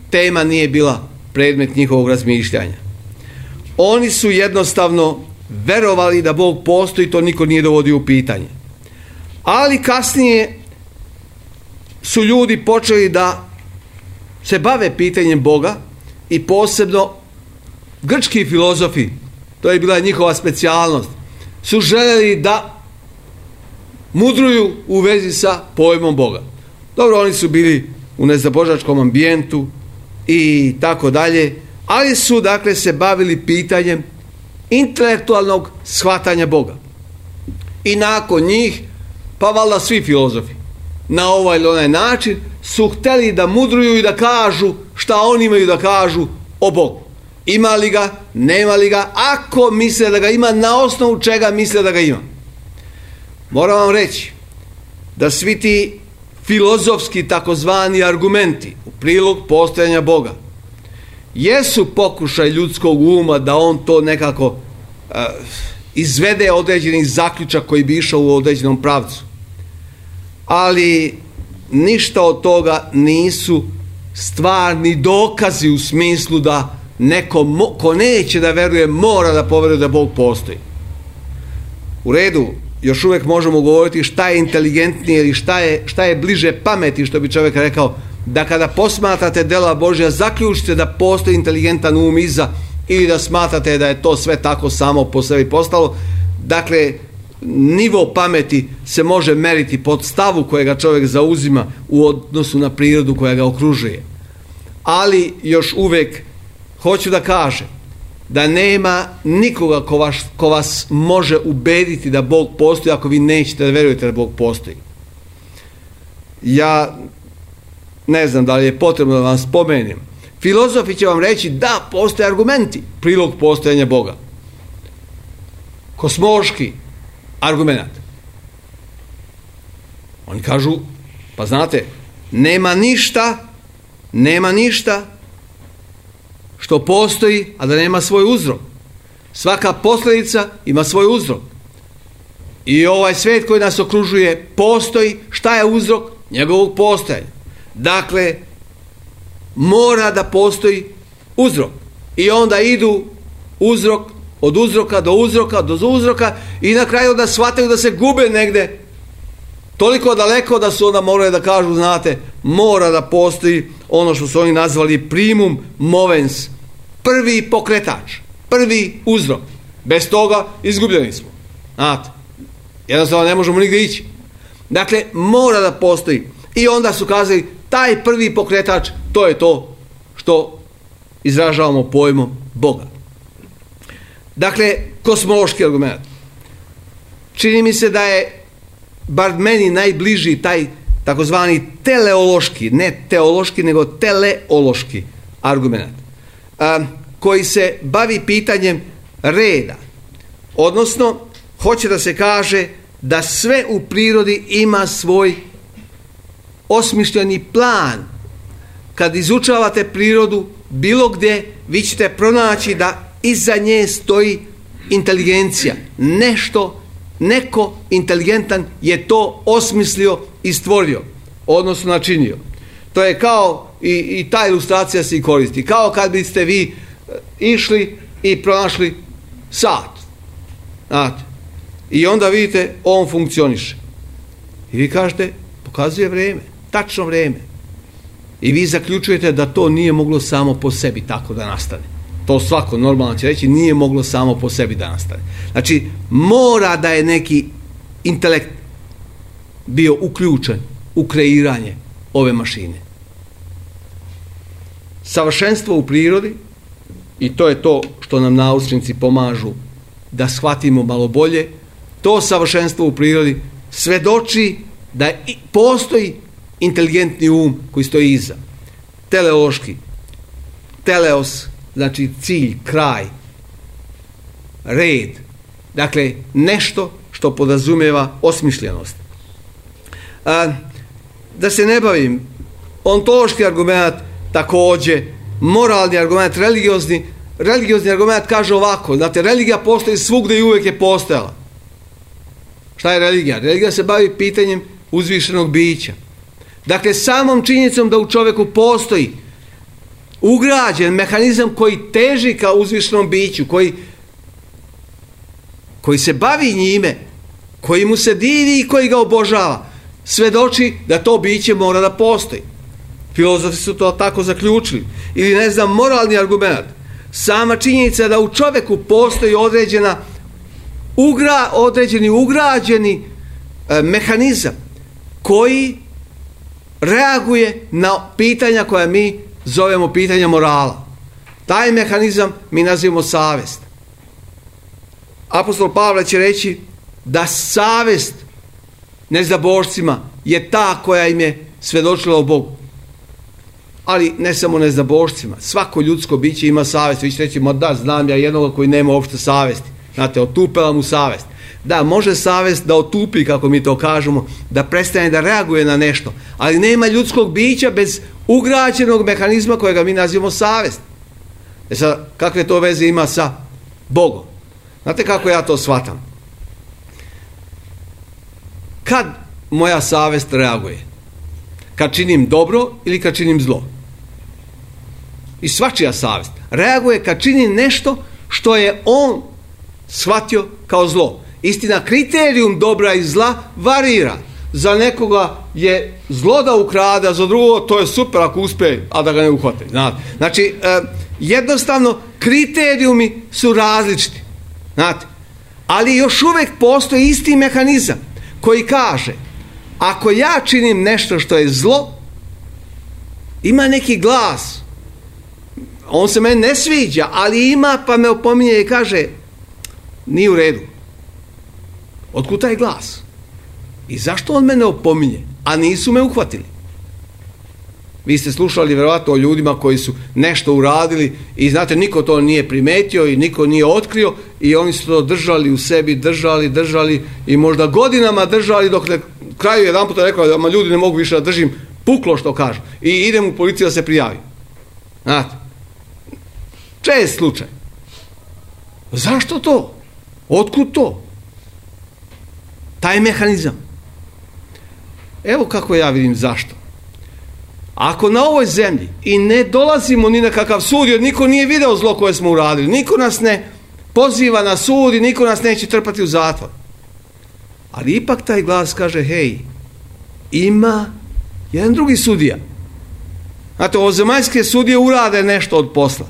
tema nije bila predmet njihovog razmišljanja. Oni su jednostavno verovali da Bog postoji, to niko nije dovodio u pitanje. Ali kasnije su ljudi počeli da se bave pitanjem Boga, i posebno grčki filozofi, to je bila njihova specijalnost, su željeli da mudruju u vezi sa pojmom Boga. Dobro, oni su bili u nezabožačkom ambijentu i tako dalje, ali su dakle se bavili pitanjem intelektualnog shvatanja Boga. I nakon njih, pa valjda svi filozofi, na ovaj ili onaj način su htjeli da mudruju i da kažu šta oni imaju da kažu o Bogu. Ima li ga, nema li ga, ako misle da ga ima, na osnovu čega misle da ga ima. Moram vam reći da svi ti filozofski takozvani argumenti u prilog postojanja Boga jesu pokušaj ljudskog uma da on to nekako uh, izvede određeni zaključak koji bi išao u određenom pravcu. Ali ništa od toga nisu stvarni dokazi u smislu da neko mo, ko neće da veruje mora da poveruje da Bog postoji. U redu, još uvijek možemo govoriti šta je inteligentnije ili šta je, šta je bliže pameti, što bi čovjek rekao, da kada posmatrate dela Božja zaključite da postoji inteligentan um iza, ili da smatrate da je to sve tako samo po sebi postalo. Dakle, nivo pameti se može meriti pod stavu kojega čovjek zauzima u odnosu na prirodu koja ga okružuje. Ali još uvijek hoću da kažem da nema nikoga ko vas, ko vas može ubediti da Bog postoji ako vi nećete da verujete da Bog postoji. Ja ne znam da li je potrebno da vam spomenem. Filozofi će vam reći da postoje argumenti prilog postojanja Boga. Kosmološki argument. Oni kažu, pa znate, nema ništa, nema ništa što postoji, a da nema svoj uzrok. Svaka posljedica ima svoj uzrok. I ovaj svijet koji nas okružuje postoji. Šta je uzrok njegovog postojanja? Dakle, mora da postoji uzrok. I onda idu uzrok, od uzroka do uzroka, do uzroka, i na kraju da shvataju da se gube negde toliko daleko da su onda morali da kažu, znate, mora da postoji ono što su oni nazvali primum movens, prvi pokretač, prvi uzrok. Bez toga izgubljeni smo. Znate, jednostavno ne možemo nigdje ići. Dakle, mora da postoji. I onda su kazali, taj prvi pokretač, to je to što izražavamo pojmom Boga. Dakle, kosmološki argument. Čini mi se da je, bar meni, najbliži taj takozvani teleološki, ne teološki, nego teleološki argument, a, koji se bavi pitanjem reda. Odnosno, hoće da se kaže da sve u prirodi ima svoj osmišljeni plan. Kad izučavate prirodu bilo gdje, vi ćete pronaći da iza nje stoji inteligencija. Nešto, neko inteligentan je to osmislio i stvorio, odnosno načinio. To je kao, i, i ta ilustracija se i koristi, kao kad biste vi išli i pronašli sat. Znate, i onda vidite, on funkcioniše. I vi kažete, pokazuje vrijeme, tačno vrijeme. I vi zaključujete da to nije moglo samo po sebi tako da nastane. To svako normalno će reći, nije moglo samo po sebi da nastane. Znači, mora da je neki intelekt bio uključen u kreiranje ove mašine. Savršenstvo u prirodi, i to je to što nam naučnici pomažu da shvatimo malo bolje, to savršenstvo u prirodi svedoči da postoji inteligentni um koji stoji iza. Teleološki. Teleos znači cilj, kraj, red. Dakle, nešto što podrazumijeva osmišljenost. A, da se ne bavim, ontološki argument također, moralni argument, religiozni, religiozni argument kaže ovako, znate, religija postoji svugdje i uvijek je postojala. Šta je religija? Religija se bavi pitanjem uzvišenog bića. Dakle, samom činjenicom da u čovjeku postoji ugrađen mehanizam koji teži ka uzvišenom biću, koji, koji se bavi njime, koji mu se divi i koji ga obožava, svedoči da to biće mora da postoji. Filozofi su to tako zaključili. Ili, ne znam, moralni argument. Sama činjenica da u čovjeku postoji određena ugra, određeni ugrađeni e, mehanizam koji reaguje na pitanja koja mi zovemo pitanja morala. Taj mehanizam mi nazivamo savjest. Apostol Pavle će reći da savjest neznabošcima je ta koja im je svedočila o Bogu. Ali ne samo neznabošcima. Svako ljudsko biće ima savjest. Vi ćete reći, ma da, znam ja jednoga koji nema uopšte savjesti. Znate, otupela mu savjest. Da, može savjest da otupi, kako mi to kažemo, da prestane da reaguje na nešto. Ali nema ljudskog bića bez ugrađenog mehanizma kojega mi nazivamo savjest. E sad, kakve to veze ima sa Bogom? Znate kako ja to shvatam? Kad moja savjest reaguje? Kad činim dobro ili kad činim zlo? I svačija savjest reaguje kad činim nešto što je on shvatio kao zlo. Istina, kriterijum dobra i zla varira. Za nekoga je zlo da ukrade, a za drugo to je super ako uspije, a da ga ne uhvate. Znate? Znači, e, jednostavno, kriterijumi su različiti. Znate? Ali još uvijek postoji isti mehanizam koji kaže, ako ja činim nešto što je zlo, ima neki glas, on se meni ne sviđa, ali ima, pa me opominje i kaže, nije u redu. Otkud taj glas? I zašto on mene opominje, a nisu me uhvatili? Vi ste slušali vjerojatno o ljudima koji su nešto uradili i znate, niko to nije primetio i niko nije otkrio i oni su to držali u sebi, držali, držali i možda godinama držali dok na kraju jedan puta rekao da ma ljudi ne mogu više da držim, puklo što kažu i idem u policiju da se prijavi. Znate, čest slučaj. Zašto to? Otkud to? Taj mehanizam. Evo kako ja vidim zašto. Ako na ovoj zemlji i ne dolazimo ni na kakav sud, jer niko nije video zlo koje smo uradili, niko nas ne poziva na sud i niko nas neće trpati u zatvor. Ali ipak taj glas kaže, hej, ima jedan drugi sudija. Znate, ovozemaljske sudije urade nešto od posla.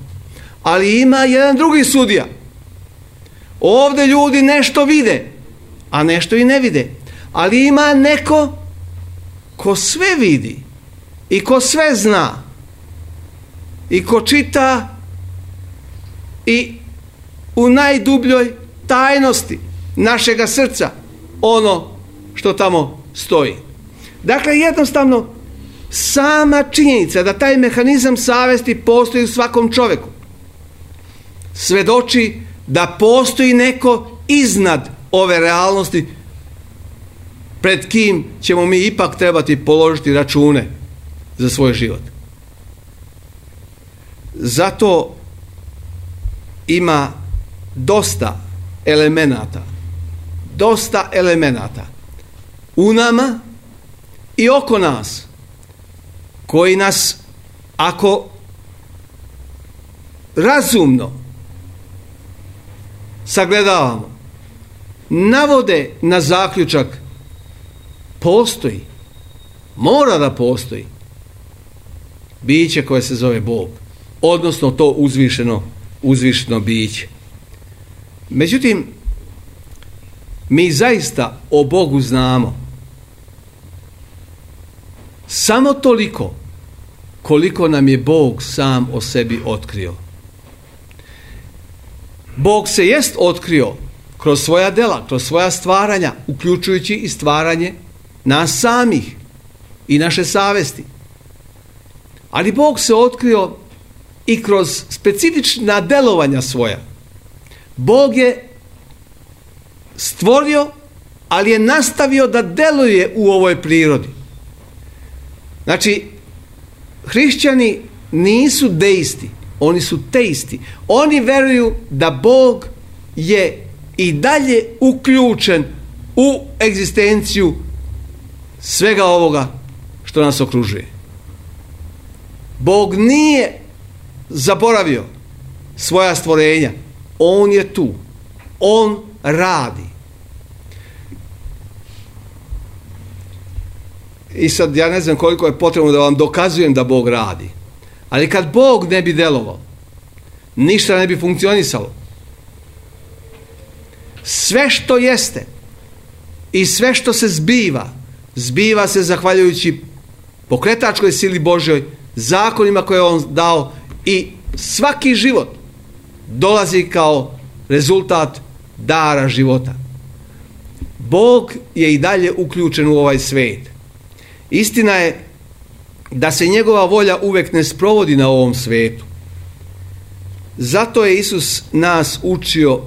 Ali ima jedan drugi sudija. Ovdje ljudi nešto vide, a nešto i ne vide. Ali ima neko ko sve vidi i ko sve zna i ko čita i u najdubljoj tajnosti našega srca ono što tamo stoji. Dakle, jednostavno, sama činjenica da taj mehanizam savesti postoji u svakom čovjeku svedoči da postoji neko iznad ove realnosti pred kim ćemo mi ipak trebati položiti račune za svoj život. Zato ima dosta elemenata, dosta elemenata u nama i oko nas koji nas, ako razumno sagledavamo, navode na zaključak: postoji, mora da postoji biće koje se zove Bog, odnosno to uzvišeno, uzvišeno biće. Međutim, mi zaista o Bogu znamo samo toliko koliko nam je Bog sam o sebi otkrio. Bog se jest otkrio kroz svoja dela, kroz svoja stvaranja, uključujući i stvaranje nas samih i naše savesti. Ali Bog se otkrio i kroz specifična delovanja svoja. Bog je stvorio, ali je nastavio da deluje u ovoj prirodi. Znači, hrišćani nisu deisti, oni su teisti. Oni veruju da Bog je i dalje uključen u egzistenciju svega ovoga što nas okružuje. Bog nije zaboravio svoja stvorenja. On je tu. On radi. I sad ja ne znam koliko je potrebno da vam dokazujem da Bog radi. Ali kad Bog ne bi delovao, ništa ne bi funkcionisalo. Sve što jeste i sve što se zbiva, zbiva se zahvaljujući pokretačkoj sili Božjoj, zakonima koje je On dao, i svaki život dolazi kao rezultat dara života. Bog je i dalje uključen u ovaj svijet. Istina je da se njegova volja uvek ne sprovodi na ovom svijetu. Zato je Isus nas učio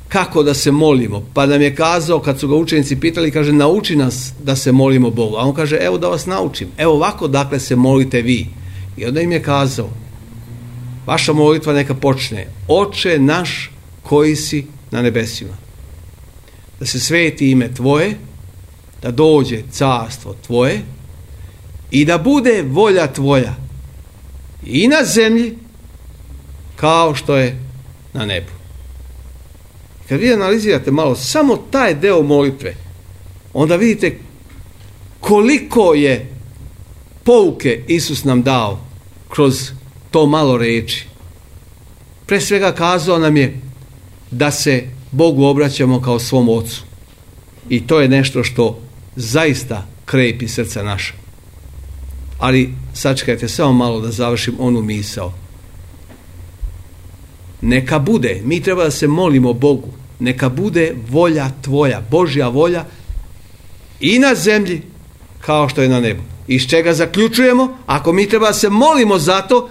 kako da se molimo. Pa nam je kazao, kad su ga učenici pitali, kaže: nauči nas da se molimo Bogu. A on kaže: evo da vas naučim. Evo ovako dakle se molite vi. I onda im je kazao: vaša molitva neka počne: Oče naš koji si na nebesima. Da se sveti ime tvoje, da dođe carstvo tvoje i da bude volja tvoja i na zemlji kao što je na nebu. Kad vi analizirate malo samo taj deo molitve, onda vidite koliko je pouke Isus nam dao kroz to malo reči. Pre svega kazao nam je da se Bogu obraćamo kao svom Ocu. I to je nešto što zaista krepi srca naša. Ali sačekajte samo malo da završim onu misao. Neka bude, mi treba da se molimo Bogu, neka bude volja tvoja, Božja volja i na zemlji kao što je na nebu. Iz čega zaključujemo, ako mi treba da se molimo za to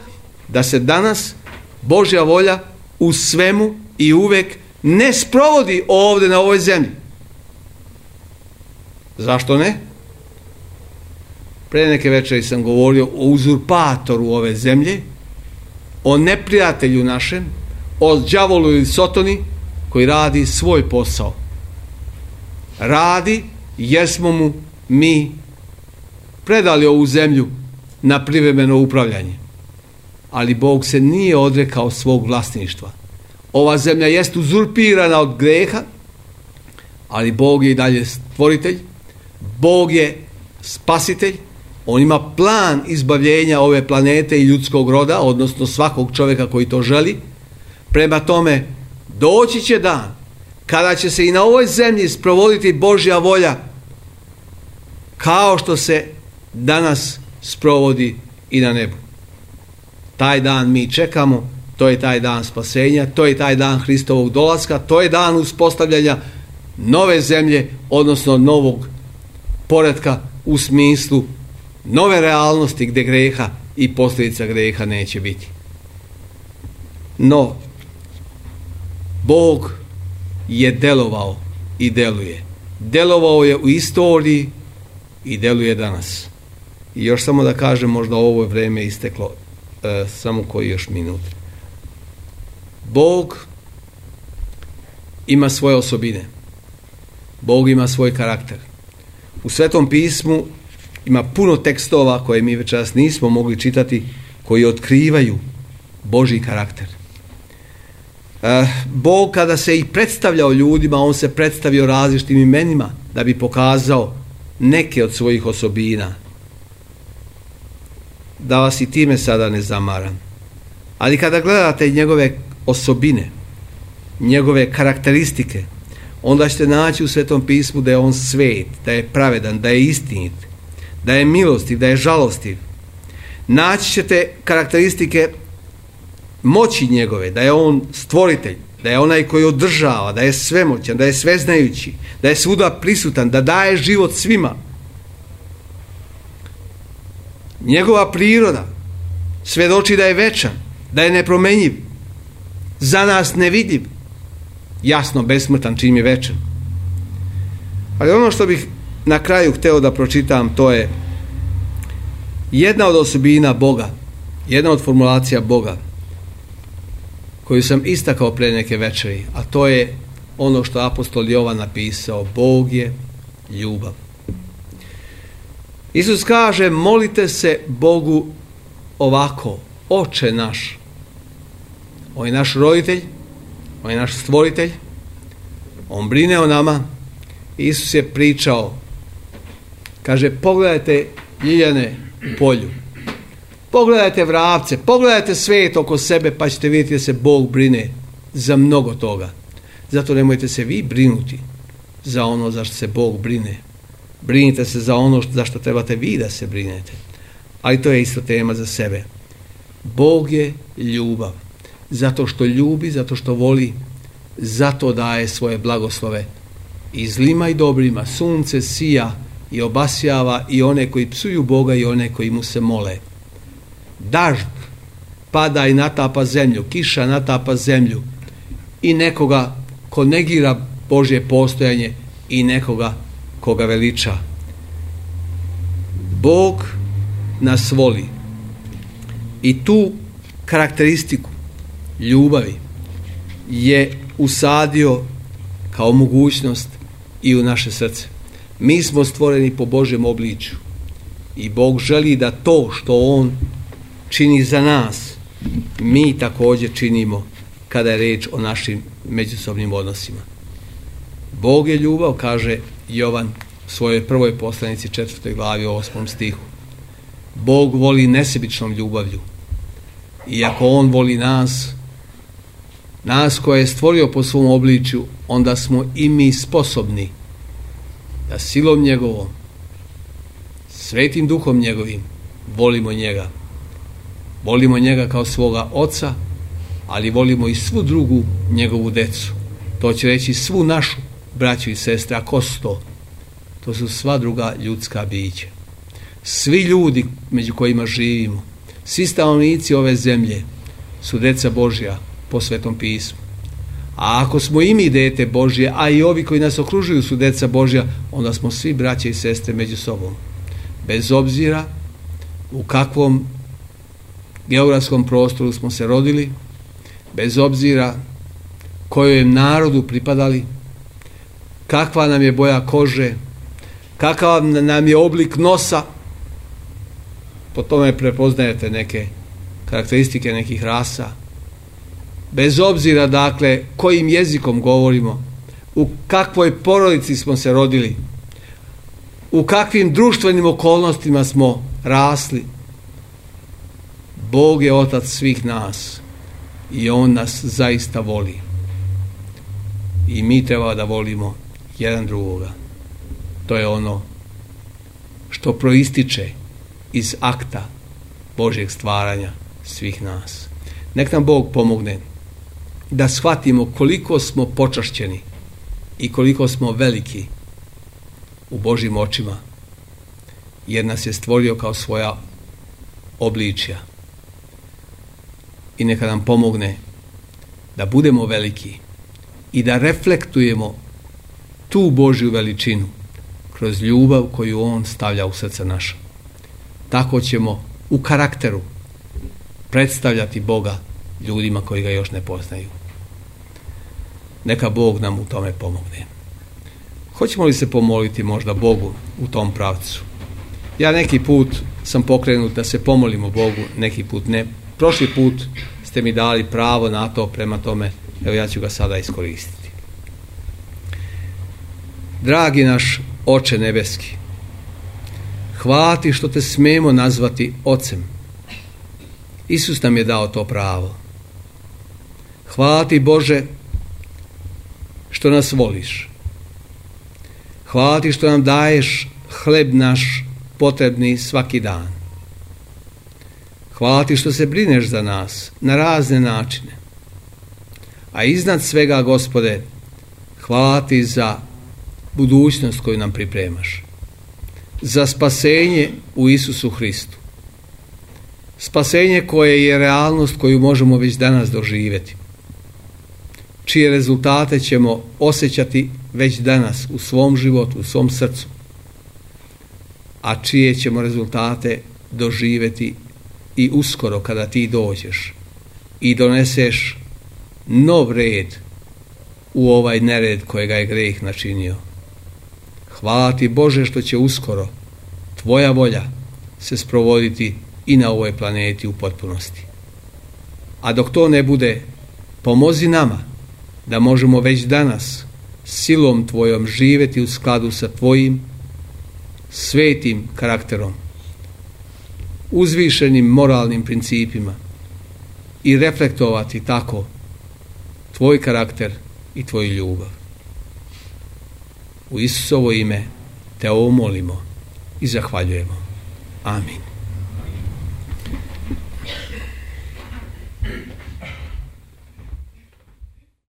da se danas Božja volja u svemu i uvek ne sprovodi ovdje na ovoj zemlji. Zašto ne? Pre neke večeri sam govorio o uzurpatoru ove zemlje, o neprijatelju našem, o đavolu ili sotoni koji radi svoj posao. Radi jer smo mu mi predali ovu zemlju na privremeno upravljanje. Ali Bog se nije odrekao svog vlasništva. Ova zemlja jest uzurpirana od greha, ali Bog je i dalje stvoritelj, Bog je spasitelj, On ima plan izbavljenja ove planete i ljudskog roda, odnosno svakog čovjeka koji to želi. Prema tome, doći će dan kada će se i na ovoj zemlji sprovoditi Božja volja kao što se danas sprovodi i na nebu. Taj dan mi čekamo To je taj dan spasenja, to je taj dan Hristovog dolaska, to je dan uspostavljanja nove zemlje, odnosno novog poretka u smislu nove realnosti gdje greha i posljedica greha neće biti. No, Bog je delovao i deluje. Delovao je u istoriji i deluje danas. I još samo da kažem, možda ovo vrijeme isteklo, e, samo koji još minut. Bog ima svoje osobine. Bog ima svoj karakter. U Svetom pismu ima puno tekstova koje mi večeras nismo mogli čitati, koji otkrivaju Božji karakter. E, Bog kada se i predstavljao ljudima, on se predstavio različitim imenima da bi pokazao neke od svojih osobina. Da vas i time sada ne zamaram. Ali kada gledate njegove osobine, njegove karakteristike, onda ćete naći u Svetom pismu da je on svet, da je pravedan, da je istinit, da je milostiv, da je žalostiv. Naći ćete karakteristike moći njegove, da je on stvoritelj, da je onaj koji održava, da je svemoćan, da je sveznajući, da je svuda prisutan, da daje život svima. Njegova priroda svjedoči da je večan, da je nepromenjiv, za nas nevidljiv, jasno besmrtan čim je večan. Ali ono što bih na kraju hteo da pročitam, to je jedna od osobina Boga, jedna od formulacija Boga koju sam istakao pre neke večeri, a to je ono što apostol Jovan napisao: Bog je ljubav. Isus kaže: molite se Bogu ovako: Oče naš. On je naš roditelj, on je naš stvoritelj, on brine o nama. Isus je pričao, kaže: pogledajte ljiljane u polju, pogledajte vrapce, pogledajte svet oko sebe, pa ćete vidjeti da se Bog brine za mnogo toga. Zato nemojte se vi brinuti za ono za što se Bog brine. Brinite se za ono za što trebate vi da se brinete. Ali to je isto tema za sebe. Bog je ljubav. Zato što ljubi, zato što voli, zato daje svoje blagoslove i zlima i dobrima. Sunce sija i obasjava i one koji psuju Boga i one koji mu se mole. Dažd pada i natapa zemlju, kiša natapa zemlju, i nekoga ko negira Božje postojanje i nekoga koga veliča. Bog nas voli i tu karakteristiku ljubavi je usadio kao mogućnost i u naše srce. Mi smo stvoreni po Božjem obličju i Bog želi da to što On čini za nas, mi također činimo kada je reč o našim međusobnim odnosima. Bog je ljubav, kaže Jovan u svojoj prvoj poslanici četvrtoj glavi osmom stihu. Bog voli nesebičnom ljubavlju. I ako On voli nas, nas koje je stvorio po svom obličju, onda smo i mi sposobni da silom njegovom, svetim duhom njegovim, volimo njega. Volimo njega kao svoga oca, ali volimo i svu drugu njegovu decu. To će reći svu našu braću i sestre. A ko su to? To su sva druga ljudska bića. Svi ljudi među kojima živimo, svi stanovnici ove zemlje su deca Božja po Svetom pismu. A ako smo i mi dete Božje, a i ovi koji nas okružuju su deca Božja, onda smo svi braće i sestre među sobom. Bez obzira u kakvom geografskom prostoru smo se rodili, bez obzira kojem narodu pripadali, kakva nam je boja kože, kakav nam je oblik nosa, po tome prepoznajete neke karakteristike nekih rasa. Bez obzira, dakle, kojim jezikom govorimo, u kakvoj porodici smo se rodili, u kakvim društvenim okolnostima smo rasli, Bog je otac svih nas i On nas zaista voli. I mi treba da volimo jedan drugoga. To je ono što proističe iz akta Božjeg stvaranja svih nas. Nek nam Bog pomogne da shvatimo koliko smo počašćeni i koliko smo veliki u Božjim očima, jer nas je stvorio kao svoja obličja. I neka nam pomogne da budemo veliki i da reflektujemo tu Božju veličinu kroz ljubav koju On stavlja u srce naša. Tako ćemo u karakteru predstavljati Boga ljudima koji ga još ne poznaju. Neka Bog nam u tome pomogne. Hoćemo li se pomoliti možda Bogu u tom pravcu? Ja neki put sam pokrenut da se pomolimo Bogu, neki put ne. Prošli put ste mi dali pravo na to, prema tome, evo ja ću ga sada iskoristiti. Dragi naš Oče nebeski, hvala ti što te smemo nazvati Ocem. Isus nam je dao to pravo. Hvala ti, Bože, što nas voliš. Hvala ti što nam daješ hleb naš potrebni svaki dan. Hvala ti što se brineš za nas na razne načine. A iznad svega, Gospode, hvala ti za budućnost koju nam pripremaš. Za spasenje u Isusu Hristu. Spasenje koje je realnost koju možemo već danas doživjeti. Čije rezultate ćemo osjećati već danas u svom životu, u svom srcu. A čije ćemo rezultate doživjeti i uskoro kada ti dođeš i doneseš nov red u ovaj nered kojega je greh načinio. Hvala ti, Bože, što će uskoro tvoja volja se sprovoditi i na ovoj planeti u potpunosti. A dok to ne bude, pomozi nama da možemo već danas silom tvojom živjeti u skladu sa tvojim svetim karakterom, uzvišenim moralnim principima i reflektovati tako tvoj karakter i tvoju ljubav. U Isusovo ime te ovo molimo i zahvaljujemo. Amin.